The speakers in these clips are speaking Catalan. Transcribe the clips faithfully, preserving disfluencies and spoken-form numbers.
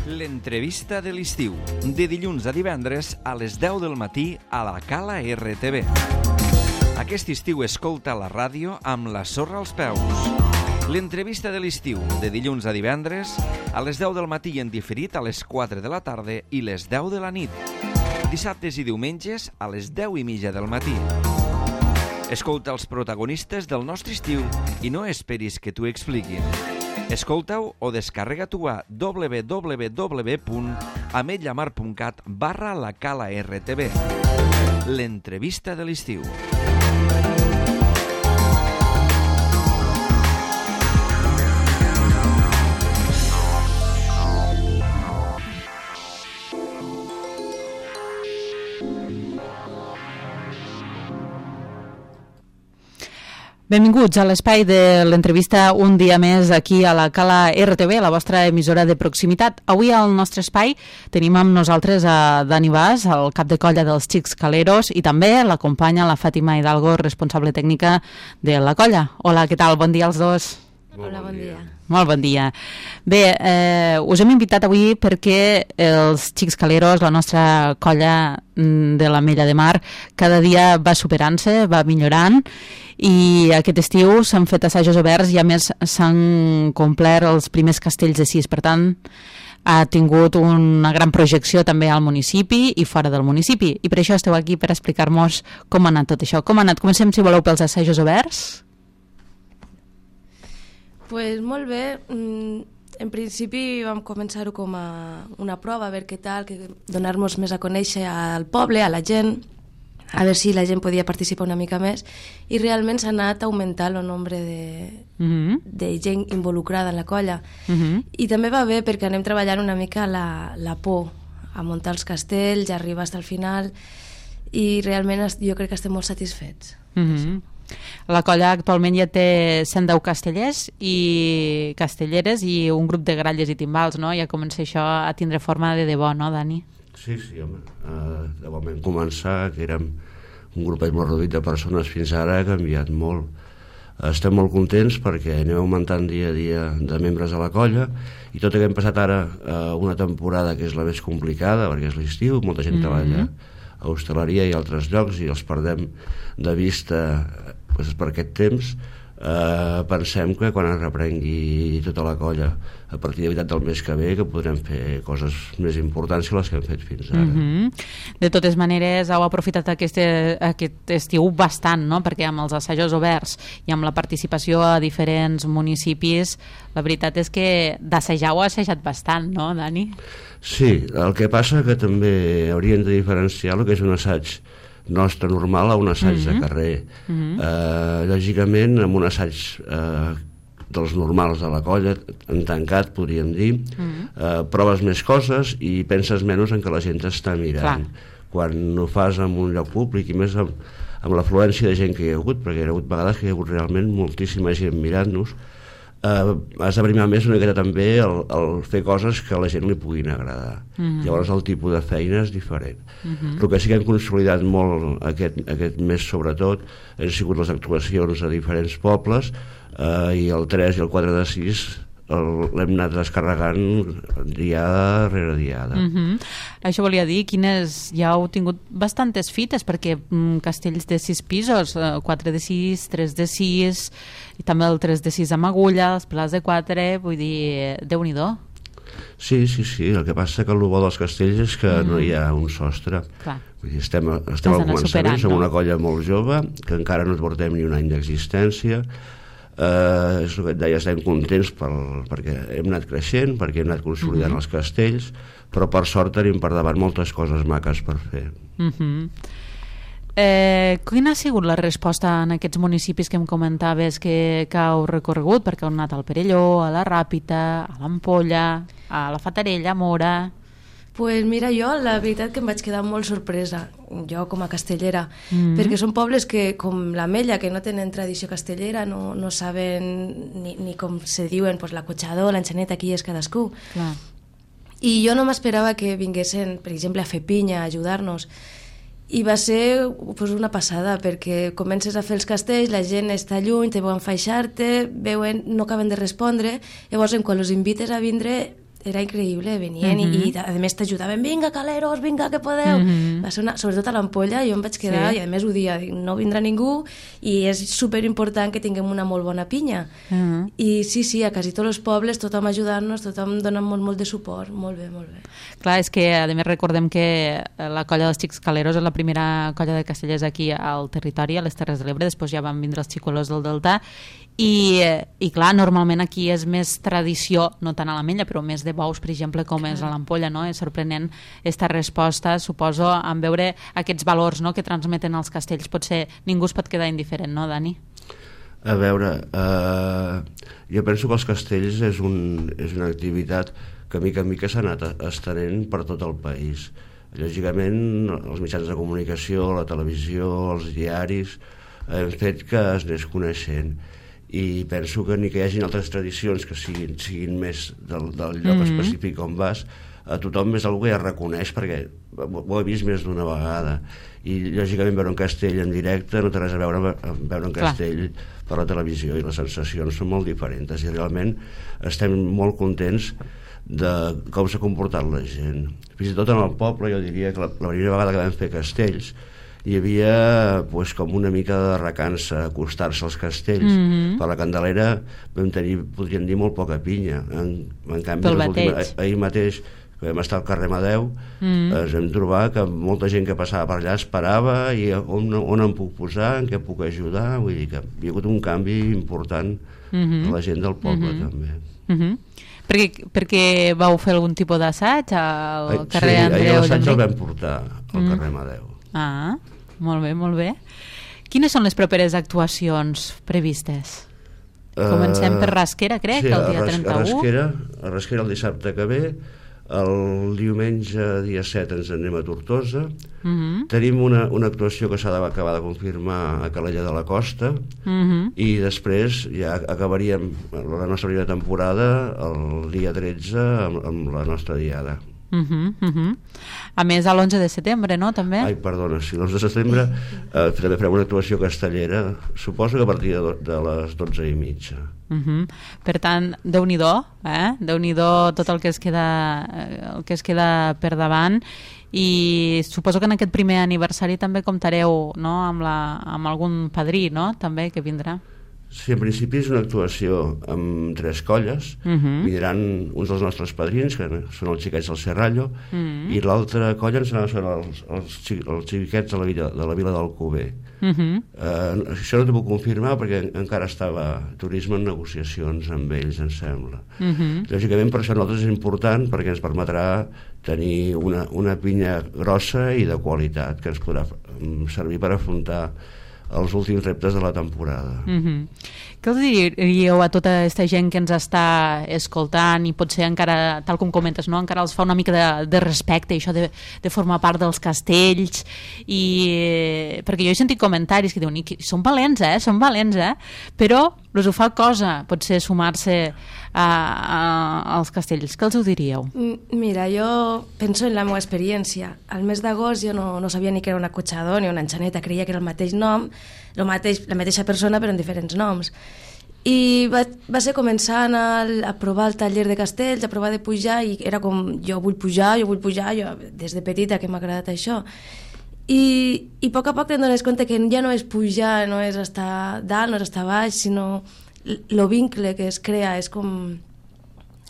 L'entrevista de l'estiu, de dilluns a divendres a les deu del matí a la Cala R T V. Aquest estiu escolta la ràdio amb la sorra als peus. L'entrevista de l'estiu, de dilluns a divendres a les deu del matí en diferit a les quatre de la tarda i les deu de la nit. Dissabtes i diumenges a les deu i mitja del matí. Escolta els protagonistes del nostre estiu i no esperis que t'ho expliquin. Escolta-ho o descarrega-t'ho a w w w punt ametlllamar punt cat barra la Cala R T V. L'entrevista de l'estiu. Benvinguts a l'espai de l'entrevista un dia més aquí a la Cala R T V, la vostra emissora de proximitat. Avui al nostre espai tenim amb nosaltres a Dani Bas, el cap de colla dels Xics Caleros, i també l'acompanya la Fàtima Hidalgo, responsable tècnica de la colla. Hola, què tal? Bon dia als dos. Hola, bon dia. Molt bon dia. Bé, eh, us hem invitat avui perquè els Xics Caleros, la nostra colla de l'Ametlla de Mar, cada dia va superant-se, va millorant, i aquest estiu s'han fet assajos oberts i a més s'han complert els primers castells de sis. Per tant, ha tingut una gran projecció també al municipi i fora del municipi. I per això esteu aquí, per explicar-nos com ha anat tot això. Com ha anat? Comencem, si voleu, pels assajos oberts. Pues molt bé. En principi vam començar-ho com a una prova, a veure què tal, que donar-nos més a conèixer al poble, a la gent, a veure si la gent podia participar una mica més, i realment s'ha anat augmentant el nombre de, uh-huh. de gent involucrada en la colla. Uh-huh. I també va bé perquè anem treballant una mica la, la por, a muntar els castells, a arribar fins al final, i realment jo crec que estem molt satisfets. Uh-huh. La colla actualment ja té cent deu castellers i castelleres i un grup de gralles i timbals, no? Ja comença això a tindre forma de debò, no, Dani? Sí, sí, home. Uh, de moment començar, que érem un grupet molt reduït de persones, fins ara ha canviat molt. Uh, estem molt contents perquè anem augmentant dia a dia de membres a la colla, i tot i que hem passat ara uh, una temporada que és la més complicada, perquè és l'estiu, molta gent mm-hmm. treballa a hostaleria i altres llocs i els perdem de vista pues, per aquest temps. Uh, pensem que quan es reprengui tota la colla a partir de veritat del mes que ve, que podrem fer coses més importants que les que hem fet fins ara. Mm-hmm. De totes maneres, heu aprofitat aquest, aquest estiu bastant, no? Perquè amb els assajos oberts i amb la participació a diferents municipis, la veritat és que d'assajar ho ha assajat bastant, no, Dani? Sí, el que passa que també hauríem de diferenciar el que és un assaig nostre normal a un assaig mm-hmm. de carrer. Mm-hmm. Uh, lògicament, amb un assaig uh, dels normals de la colla, en tancat, podríem dir, mm-hmm. uh, proves més coses i penses menys en que la gent està mirant. Clar. Quan ho fas en un lloc públic, i més amb, amb l'afluència de gent que hi ha hagut, perquè hi ha hagut vegades que hi ha hagut realment moltíssima gent mirant-nos, Uh, has de primar més una miqueta també el, el fer coses que a la gent li puguin agradar. Mm-hmm. Llavors el tipus de feina és diferent. Mm-hmm. El que sí que hem consolidat molt aquest, aquest mes sobretot han sigut les actuacions a diferents pobles, uh, i el tres i el quatre de sis l'hem anat descarregant diada rere diada. Mm-hmm. Això volia dir, quines ja heu tingut bastantes fites, perquè mm, castells de sis pisos, quatre de sis, tres de sis, i també el tres de sis amb agulla, els pilars de quatre, vull dir, Déu-n'hi-do. Sí, sí, sí, el que passa que el bo dels castells és que mm. no hi ha un sostre. Clar. Vull dir, estem, estem al començament, som no? una colla molt jove, que encara no portem ni un any d'existència. Uh, és el que et deia, estem contents per, perquè hem anat creixent, perquè hem anat consolidant mm-hmm. els castells, però per sort tenim per davant moltes coses maques per fer. Mm-hmm. eh, quina ha sigut la resposta en aquests municipis que em comentaves que, que heu recorregut? Perquè heu anat al Perelló, a la Ràpita, a l'Ampolla, a la Fatarella, a Mora... Pues mira, jo la veritat que em vaig quedar molt sorpresa, jo com a castellera, mm-hmm. perquè són pobles que, com l'Ametlla, que no tenen tradició castellera, no, no saben ni, ni com se diuen pues, l'acotxador, l'enxaneta, qui és cadascú. Clar. I jo no m'esperava que vinguessin, per exemple, a fer pinya, a ajudar-nos. I va ser pues, una passada, perquè comences a fer els castells, la gent està lluny, te veuen faixar-te, veuen, no acaben de respondre, llavors quan els invites a vindre era increïble, venien mm -hmm. i, i a més t'ajudaven, vinga caleros, vinga que podeu, mm -hmm. va ser una, sobretot a l'Ampolla jo em vaig quedar, sí. i a més ho dia no vindrà ningú i és superimportant que tinguem una molt bona pinya mm -hmm. i sí, sí, a quasi tots els pobles tothom ajudant-nos, tothom donant molt, molt de suport, molt bé, molt bé. Clar, és que a més recordem que la colla dels Xics Caleros és la primera colla de castellers aquí al territori, a les Terres de l'Ebre, després ja van vindre els xicolos del Delta i, i clar, normalment aquí és més tradició, no tant a l'Ametlla però més de bous, per exemple, com és a l'Ampolla, no? És sorprenent aquesta resposta, suposo, en veure aquests valors, no?, que transmeten els castells. Potser ningú es pot quedar indiferent, no, Dani? A veure, eh, jo penso que els castells és, un, és una activitat que mica en mica s'ha anat estenent per tot el país. Lògicament, els mitjans de comunicació, la televisió, els diaris, han fet que es anés coneixent. I penso que ni que hi hagi altres tradicions que siguin, siguin més del, del lloc mm -hmm. específic on vas, a tothom és algú que ja reconeix perquè ho he vist més d'una vegada i lògicament veure un castell en directe no té res a veure amb veure un castell Clar. per la televisió i les sensacions són molt diferents i realment estem molt contents de com s'ha comportat la gent. Fins i tot en el poble jo diria que la, la primera vegada que vam fer castells hi havia pues, com una mica de recança acostar-se als castells. Mm-hmm. Per la Candelera vam tenir, podríem dir, molt poca pinya. En, en canvi, última, ahir mateix, que vam estar al carrer Amadeu, mm-hmm. ens vam trobar que molta gent que passava per allà esperava i on, on em puc posar, en què puc ajudar, vull dir que hi ha hagut un canvi important mm-hmm. a la gent del poble, mm-hmm. també. Mm-hmm. Perquè, perquè vau fer algun tipus d'assaig al carrer sí, Andreu? Sí, l'assaig el vam portar al mm. carrer Amadeu. Ah, molt bé, molt bé. Quines són les properes actuacions previstes? Comencem per Rasquera, crec, sí, el dia a trenta-u. A Rasquera, a Rasquera el dissabte que ve, el diumenge dia set ens anem a Tortosa. Uh-huh. Tenim una, una actuació que s'ha d'acabar de confirmar a Calella de la Costa uh-huh. i després ja acabaríem la nostra primera temporada el dia tretze amb, amb la nostra diada. Uh-huh, uh-huh. A més a l'onze de setembre, no? També? Ai, perdona, sí, l'onze de setembre eh, també farem una actuació castellera, suposo que a partir de, de les dotze i mitja. Uh-huh. Per tant, Déu-n'hi-do, eh? Déu-n'hi-do tot el que es queda, el que es queda per davant i suposo que en aquest primer aniversari també comptareu, no? amb, la, amb algun padrí, no? També que vindrà. Sí, en principi és una actuació amb tres colles. Uh-huh. Vindran uns dels nostres padrins, que són els xiquets del Serrallo, uh-huh. i l'altra colla ens són els, els, els xiquets de la vila, de la vila d'Alcover. Uh-huh. Uh, això no t'ho puc confirmar perquè encara estava turisme en negociacions amb ells, em sembla. Uh-huh. Lògicament, per això nosaltres és important perquè ens permetrà tenir una, una pinya grossa i de qualitat que ens podrà servir per afrontar els últims reptes de la temporada. Mm-hmm. Què us diríeu a tota aquesta gent que ens està escoltant i potser encara, tal com comentes, no? encara els fa una mica de, de respecte, això de, de formar part dels castells, i perquè jo he sentit comentaris que diuen que són valents, eh? són valents, eh? però els ho fa cosa, potser sumar-se a, a, als castells. Què els ho diríeu? Mira, jo penso en la meva experiència. Al mes d'agost jo no, no sabia ni que era un acotxador ni una enxaneta, creia que era el mateix nom, el mateix, la mateixa persona però en diferents noms. I va, va ser començar a, anar a provar el taller de castells, a provar de pujar, i era com, jo vull pujar, jo vull pujar, jo des de petita que m'ha agradat això. I, i a poc a poc te'n dones compte que ja no és pujar, no és estar dalt, no és estar baix, sinó el vincle que es crea és com,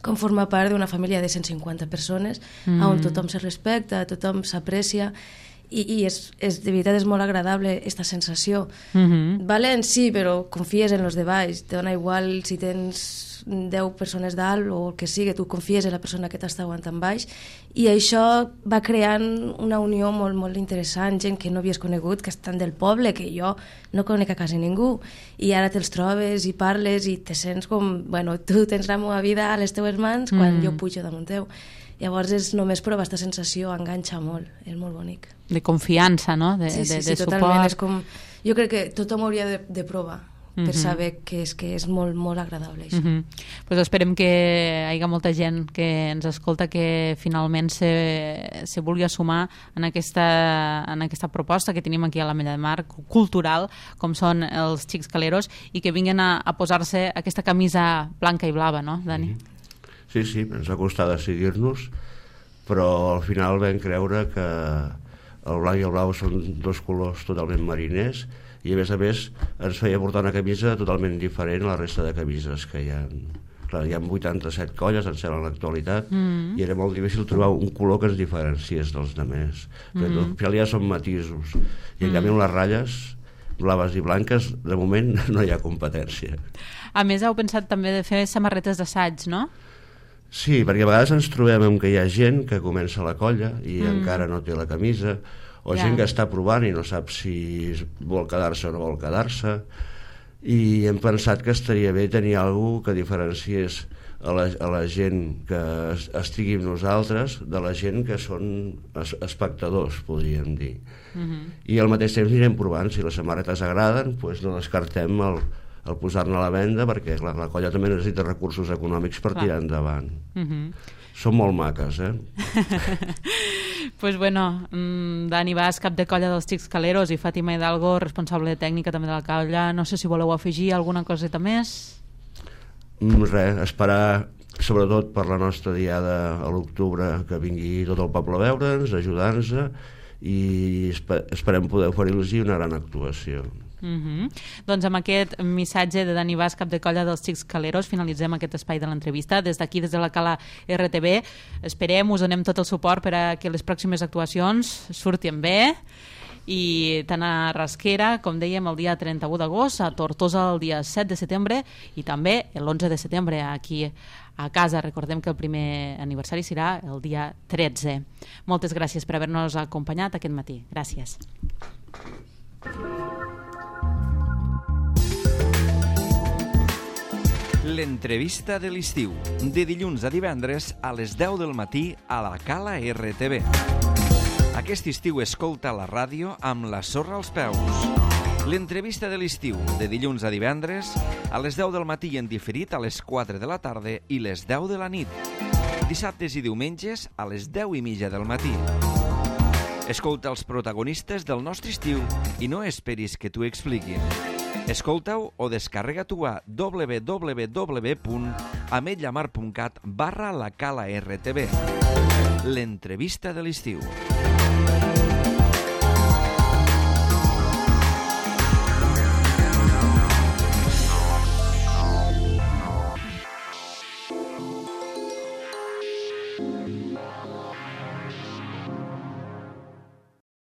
com formar part d'una família de cent cinquanta persones, mm. on tothom se respecta, tothom s'aprecia, i, i és, és, de veritat és molt agradable aquesta sensació. Mm-hmm. Valent, sí, però confies en los de baix, te dona igual si tens deu persones dalt o el que sigui, tu confies en la persona que t'està aguantant baix, i això va creant una unió molt, molt interessant, gent que no havies conegut, que estan del poble, que jo no conec a quasi ningú, i ara te'ls trobes i parles i te sents com, bueno, tu tens la meva vida a les teues mans quan mm. jo pujo damunt teu. Llavors és només provar aquesta sensació, enganxa molt, és molt bonic. De confiança, no? De, sí, sí, de, sí, de totalment. suport. És com, jo crec que tothom hauria de, de provar per mm-hmm. saber que és, que és molt, molt agradable això. Mm-hmm. Pues esperem que hi hagi molta gent que ens escolta que finalment se, se vulgui sumar en aquesta, en aquesta proposta que tenim aquí a l'Ametlla de Mar, cultural, com són els Xics Caleros, i que vinguin a, a posar-se aquesta camisa blanca i blava, no, Dani? Mm-hmm. Sí, sí, ens va costar decidir-nos, però al final vam creure que el blanc i el blau són dos colors totalment mariners i a més a més ens feia portar una camisa totalment diferent a la resta de camises que hi ha. Clar, hi ha vuitanta-set colles, em sembla, en l'actualitat, mm. i era molt difícil trobar un color que ens diferenciés dels altres. Mm. Al final ja són matisos. I en mm. canvi amb les ratlles blaves i blanques, de moment no hi ha competència. A més, heu pensat també de fer samarretes d'assaig, no? Sí, perquè a vegades ens trobem amb que hi ha gent que comença la colla i mm. encara no té la camisa, o ja. gent que està provant i no sap si vol quedar-se o no vol quedar-se, i hem pensat que estaria bé tenir alguna que diferenciés a la, a la gent que estigui amb nosaltres de la gent que són es, espectadors, podríem dir. Mm-hmm. I al mateix temps anirem provant, si les samarretes agraden, doncs no descartem el, el posar-ne a la venda, perquè clar, la colla també necessita recursos econòmics per clar. Tirar endavant. Mm-hmm. Són molt maques, eh? Pues bueno, Dani Bas, cap de colla dels Xics Caleros, i Fàtima Hidalgo, responsable tècnica també de la colla. No sé si voleu afegir alguna coseta més? Mm, res, esperar sobretot per la nostra diada a l'octubre que vingui tot el poble a veure'ns, ajudar-nos, i esperem poder oferir-los una gran actuació. Mm-hmm. Doncs amb aquest missatge de Dani Bas, cap de colla dels Xics Caleros, finalitzem aquest espai de l'entrevista. Des d'aquí, des de la Cala R T V, esperem, us donem tot el suport per a que les pròximes actuacions surtin bé, i tant a Rasquera, com dèiem, el dia trenta-u d'agost, a Tortosa el dia set de setembre, i també l'onze de setembre aquí a casa. Recordem que el primer aniversari serà el dia tretze. Moltes gràcies per haver-nos acompanyat aquest matí. Gràcies. L'entrevista de l'estiu, de dilluns a divendres a les deu del matí a la Cala R T V. Aquest estiu escolta la ràdio amb la sorra als peus. L'entrevista de l'estiu, de dilluns a divendres a les deu del matí en diferit a les quatre de la tarda i les deu de la nit. Dissabtes i diumenges a les deu i mitja del matí. Escolta els protagonistes del nostre estiu i no esperis que t'ho expliquin. Escolta-ho o descarrega-t'ho a w w w punt ametlla mar punt cat barra la Cala R T V. L'entrevista de l'estiu.